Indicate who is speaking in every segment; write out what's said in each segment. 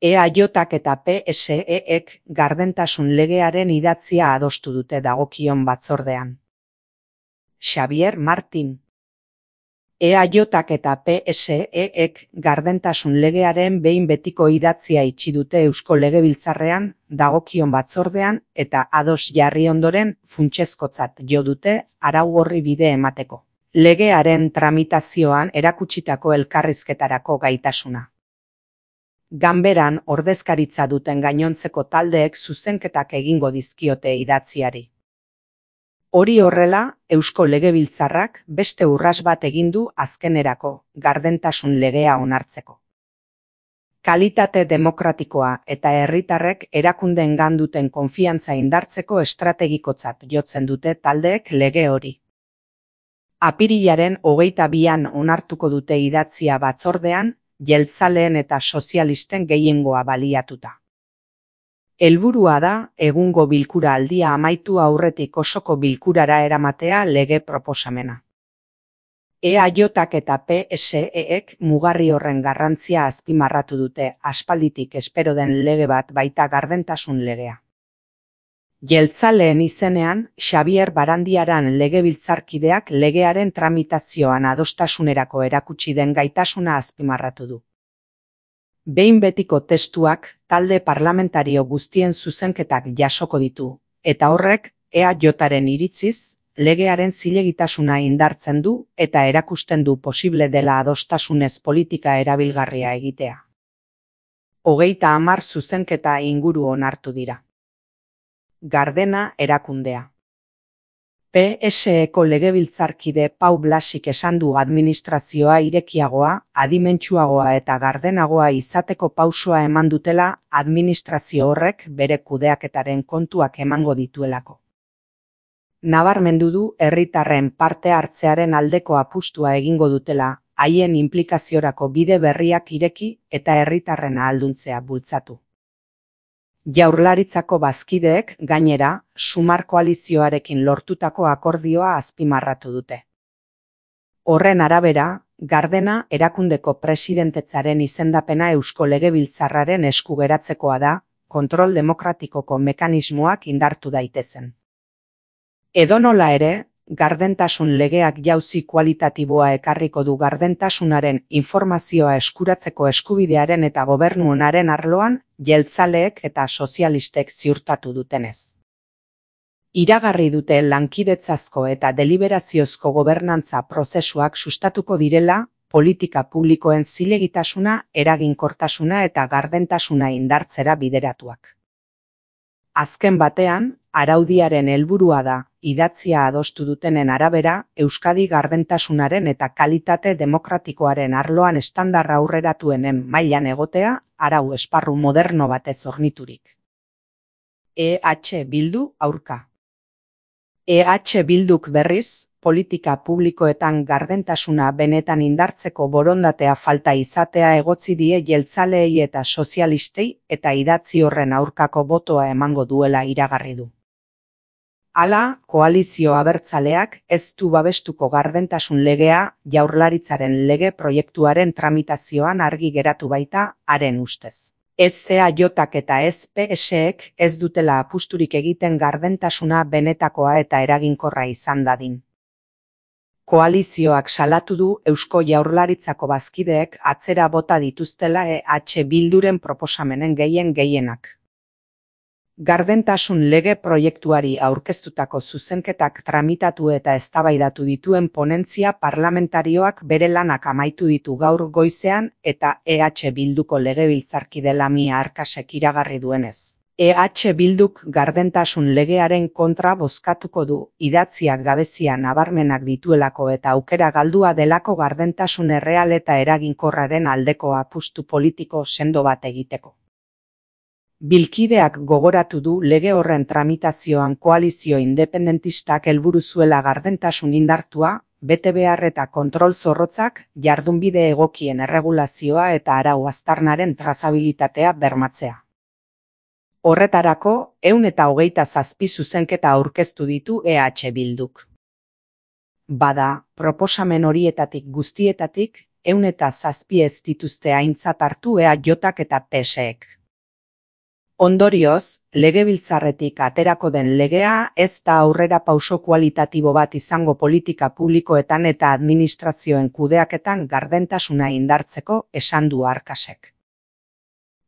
Speaker 1: EAJak eta PSEek gardentasun legearen idatzia adostu dute dagokion batzordean. Xabier Martin. EAJak eta PSEek gardentasun legearen behin betiko idatzia itxi dute Eusko Legebiltzarrean dagokion batzordean eta ados jarri ondoren funtsezkotzat jo dute arau horri bide emateko. Legearen tramitazioan erakutsitako elkarrizketarako gaitasuna. Ganberan ordezkaritza duten gainontzeko taldeek zuzenketak egingo dizkiote idatziari. Hori horrela, Eusko Legebiltzarrak beste urrats bat egin du azkenerako gardentasun legea onartzeko. Kalitate demokratikoa eta herritarrek erakundeengan duten konfiantza indartzeko estrategikotzat jotzen dute taldeek lege hori. Apirilaren 22an onartuko dute idatzia batzordean, jeltzaleen eta sozialisten gehiengoa baliatuta. Helburua da, egungo bilkura aldia amaitu aurretik osoko bilkurara eramatea lege proposamena. EAJak eta PSEek mugarri horren garrantzia azpimarratu dute aspalditik espero den lege bat baita gardentasun legea. Jeltzaleen izenean, Xabier Barandiaran legebiltzarkideak legearen tramitazioan adostasunerako erakutsi den gaitasuna azpimarratu du. Behin betiko testuak talde parlamentario guztien zuzenketak jasoko ditu, eta horrek EAJaren iritziz, legearen zilegitasuna indartzen du eta erakusten du posible dela adostasunez politika erabilgarria egitea. 30 zuzenketa inguru onartu dira. Gardena erakundea. PSEko legebiltzarkide Pau Blasik esan du administrazioa irekiagoa, adimentsuagoa eta gardenagoa izateko pausoa eman dutela administrazio horrek bere kudeaketaren kontuak emango dituelako. Nabarmendu du herritarren parte hartzearen aldeko apustua egingo dutela, haien inplikaziorako bide berriak ireki eta herritarren ahalduntzea bultzatu. Jaurlaritzako bazkideek, gainera, Sumar koalizioarekin lortutako akordioa azpimarratu dute. Horren arabera, Gardena erakundeko presidentetzaren izendapena Eusko Legebiltzarraren esku geratzekoa da, kontrol demokratikoko mekanismoak indartu daitezen. Edonola ere, gardentasun legeak jauzi kualitatiboa ekarriko du gardentasunaren informazioa eskuratzeko eskubidearen eta gobernu onaren arloan, jeltzaleek eta sozialistek ziurtatu dutenez. Iragarri dute lankidetzazko eta deliberaziozko gobernantza prozesuak sustatuko direla, politika publikoen zilegitasuna, eraginkortasuna eta gardentasuna indartzera bideratuak. Azken batean, araudiaren helburua da, idatzia adostu dutenen arabera, Euskadi gardentasunaren eta kalitate demokratikoaren arloan estandarra aurreratuenen mailan egotea, arau esparru moderno batez horniturik. EH Bildu aurka. EH Bilduk berriz, politika publikoetan gardentasuna benetan indartzeko borondatea falta izatea egotzi die jeltzaleei eta sozialistei eta idatzi horren aurkako botoa emango duela iragarri du. Hala, koalizio abertzaleak ez du babestuko gardentasun legea Jaurlaritzaren lege proiektuaren tramitazioan argi geratu baita haren ustez. Ez EAJak eta ez PSEek ez dutela apusturik egiten gardentasuna benetakoa eta eraginkorra izan dadin. Koalizioak salatu du Eusko Jaurlaritzako bazkideek atzera bota dituztela EH Bilduren proposamenen gehienak. Gardentasun lege proiektuari aurkeztutako zuzenketak tramitatu eta eztabaidatu dituen ponentzia parlamentarioak bere lanak amaitu ditu gaur goizean eta EH Bilduko legebiltzarkide Lamia Arkasek iragarri duenez. EH Bilduk gardentasun legearen kontra bozkatuko du, idatziak gabezia nabarmenak dituelako eta aukera galdua delako gardentasun erreal eta eraginkorraren aldeko apustu politiko sendo bat egiteko. Bilkideak gogoratu du lege horren tramitazioan koalizio independentistak helburu zuela gardentasun indartua, betebehar eta kontrol zorrotzak, jardunbide egokien erregulazioa eta arau aztarnaren trazabilitatea bermatzea. Horretarako, 127 zuzenketa aurkeztu ditu EH Bilduk. Bada, proposamen horietatik guztietatik, 107 ez dituzte aintzat hartu EAJak eta PSek. Ondorioz, legebiltzarretik aterako den legea ez da aurrerapauso kualitatibo bat izango politika publikoetan eta administrazioen kudeaketan gardentasuna indartzeko, esan du Arkasek.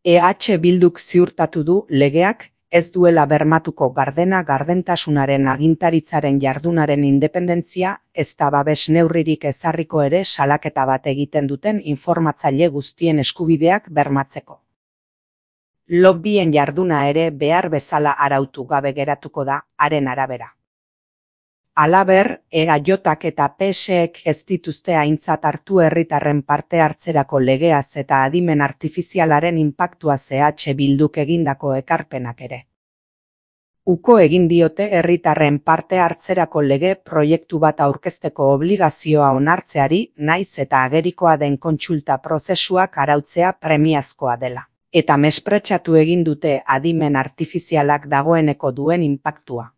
Speaker 1: EH Bilduk ziurtatu du legeak ez duela bermatuko gardentasunaren agintaritzaren jardunaren independentzia, ezta babes neurririk ezarriko ere salaketa bat egiten duten informatzaile guztien eskubideak bermatzeko. Lobbyen jarduna ere behar bezala arautu gabe geratuko da, haren arabera. Halaber, EAJak eta PSek ez dituzte aintzat hartu herritarren parte hartzerako legeaz eta adimen artifizialaren inpaktuaz EH Bilduk egindako ekarpenak ere. Uko egin diote herritarren parte hartzerako lege proiektu bat aurkezteko obligazioa onartzeari, naiz eta agerikoa den kontsulta prozesuak arautzea premiazkoa dela. Eta mespretxatu egin dute adimen artifizialak dagoeneko duen inpaktua.